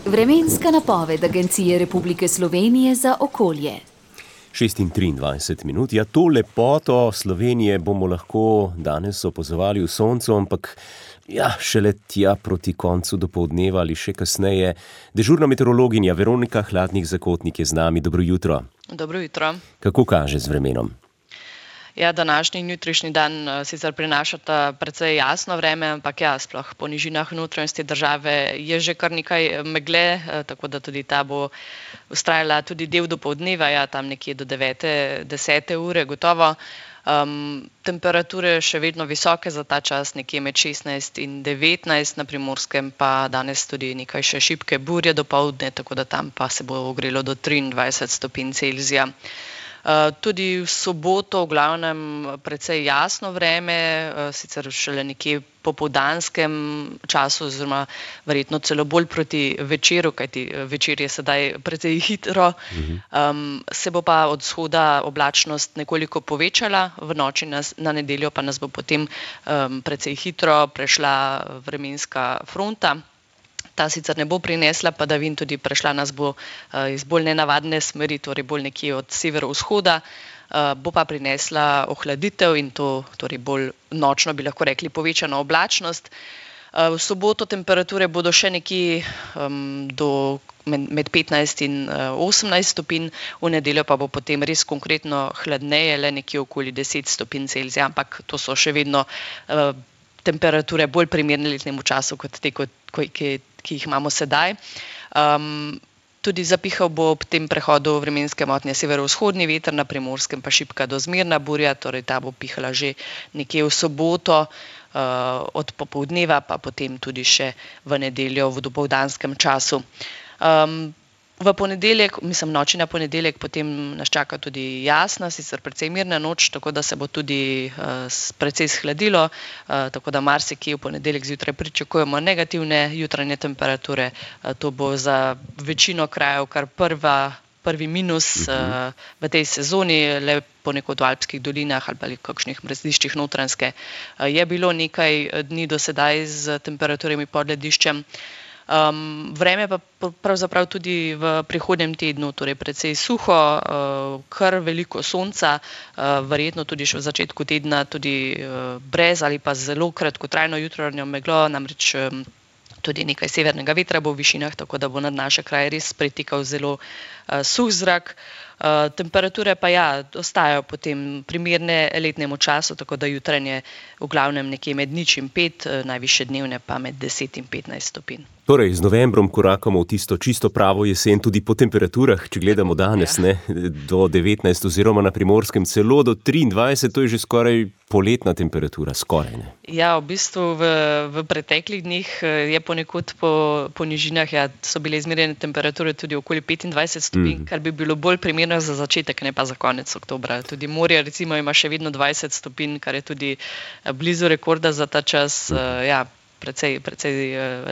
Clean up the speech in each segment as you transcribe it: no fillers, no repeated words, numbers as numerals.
Vremenska napoved Agencije Republike Slovenije za okolje. 6:23. Ja, to lepoto Slovenije bomo lahko danes opazovali v soncu, ampak šele tja proti koncu dopoldneva ali še kasneje. Dežurna meteorologinja Veronika Hladnik-Zakotnik je z nami. Dobro jutro. Dobro jutro. Kako kaže z vremenom? Ja, današnji in jutrišnji dan sicer prinašata precej jasno vreme, ampak sploh po nižinah notranjosti države je že kar nekaj megle, tako da tudi ta bo vztrajala tudi del dopoldneva, tam nekje do 9. 10. ure gotovo. Temperature še vedno visoke za ta čas, nekje med 16 in 19, na Primorskem pa danes tudi nekaj še šibke burje dopoldne, tako da tam pa se bo ogrelo do 23 stopinj Celzija. Tudi v soboto v glavnem precej jasno vreme, sicer šele nekje po popoldanskem času oziroma verjetno celo bolj proti večeru, kajti večer je sedaj precej hitro. Se bo pa od vzhoda oblačnost nekoliko povečala, v noči na nedeljo pa nas bo potem precej hitro prešla vremenska fronta. Ta sicer ne bo prinesla padavin, tudi prešla nas bo iz bolj nenavadne smeri, torej bolj nekje od severovzhoda, bo pa prinesla ohladitev in to torej bolj nočno, bi lahko rekli, povečano oblačnost. V soboto temperature bodo še nekje med 15 in 18 stopinj, v nedeljo pa bo potem res konkretno hladneje, le nekje okoli 10 stopinj Celzija, ampak to so še vedno temperature bolj primerne letnemu času kot te, ki jih imamo sedaj. Tudi zapihal bo ob tem prehodu vremenske motnje severovzhodni veter, na Primorskem pa šibka do zmerna burja, torej ta bo pihala že nekje v soboto, od popoldneva pa potem tudi še v nedeljo v dopoldanskem času. V ponedeljek, noči na ponedeljek, potem nas čaka tudi jasna, sicer precej mirna noč, tako da se bo tudi precej shladilo, tako da marsikje v ponedeljek zjutraj pričakujemo negativne jutranje temperature. To bo za večino krajev kar prvi minus v tej sezoni, le ponekod v alpskih dolinah ali kakšnih mrziščih Notranjske je bilo nekaj dni do sedaj z temperaturami pod lediščem. Vreme pa pravzaprav tudi v prihodnjem tednu, torej precej suho, kar veliko sonca, verjetno tudi še v začetku tedna tudi brez ali pa zelo kratkotrajno jutranjo meglo, namreč tudi nekaj severnega vetra bo v višinah, tako da bo nad naše kraje res pritekal zelo suh zrak. Temperature pa ostajajo potem primerne letnemu času, tako da jutranje v glavnem nekje med 0 in 5, najvišje dnevne pa med 10 in 15 stopinj. Torej, z novembrom korakamo v tisto čisto pravo jesen tudi po temperaturah, če gledamo danes, do 19 oziroma na Primorskem celo do 23, to je že skoraj poletna temperatura, skoraj ne. Ja, v bistvu v preteklih dneh je ponekod po nižinah so bile izmerjene temperature tudi okoli 25 stopinj, kar bi bilo bolj primerno za začetek, ne pa za konec oktobra. Tudi morje recimo ima še vedno 20 stopinj, kar je tudi blizu rekorda za ta čas, precej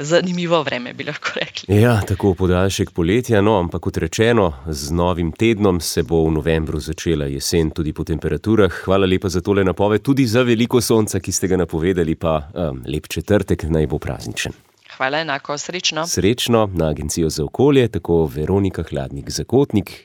zanimivo vreme, bi lahko rekli. Ja, tako podaljšek poletja, ampak kot rečeno, z novim tednom se bo v novembru začela jesen tudi po temperaturah. Hvala lepa za tole napoved, tudi za veliko sonca, ki ste ga napovedali, pa lep četrtek, naj bo prazničen. Hvala, enako, srečno. Srečno, na Agencijo za okolje, tako Veronika Hladnik-Zakotnik.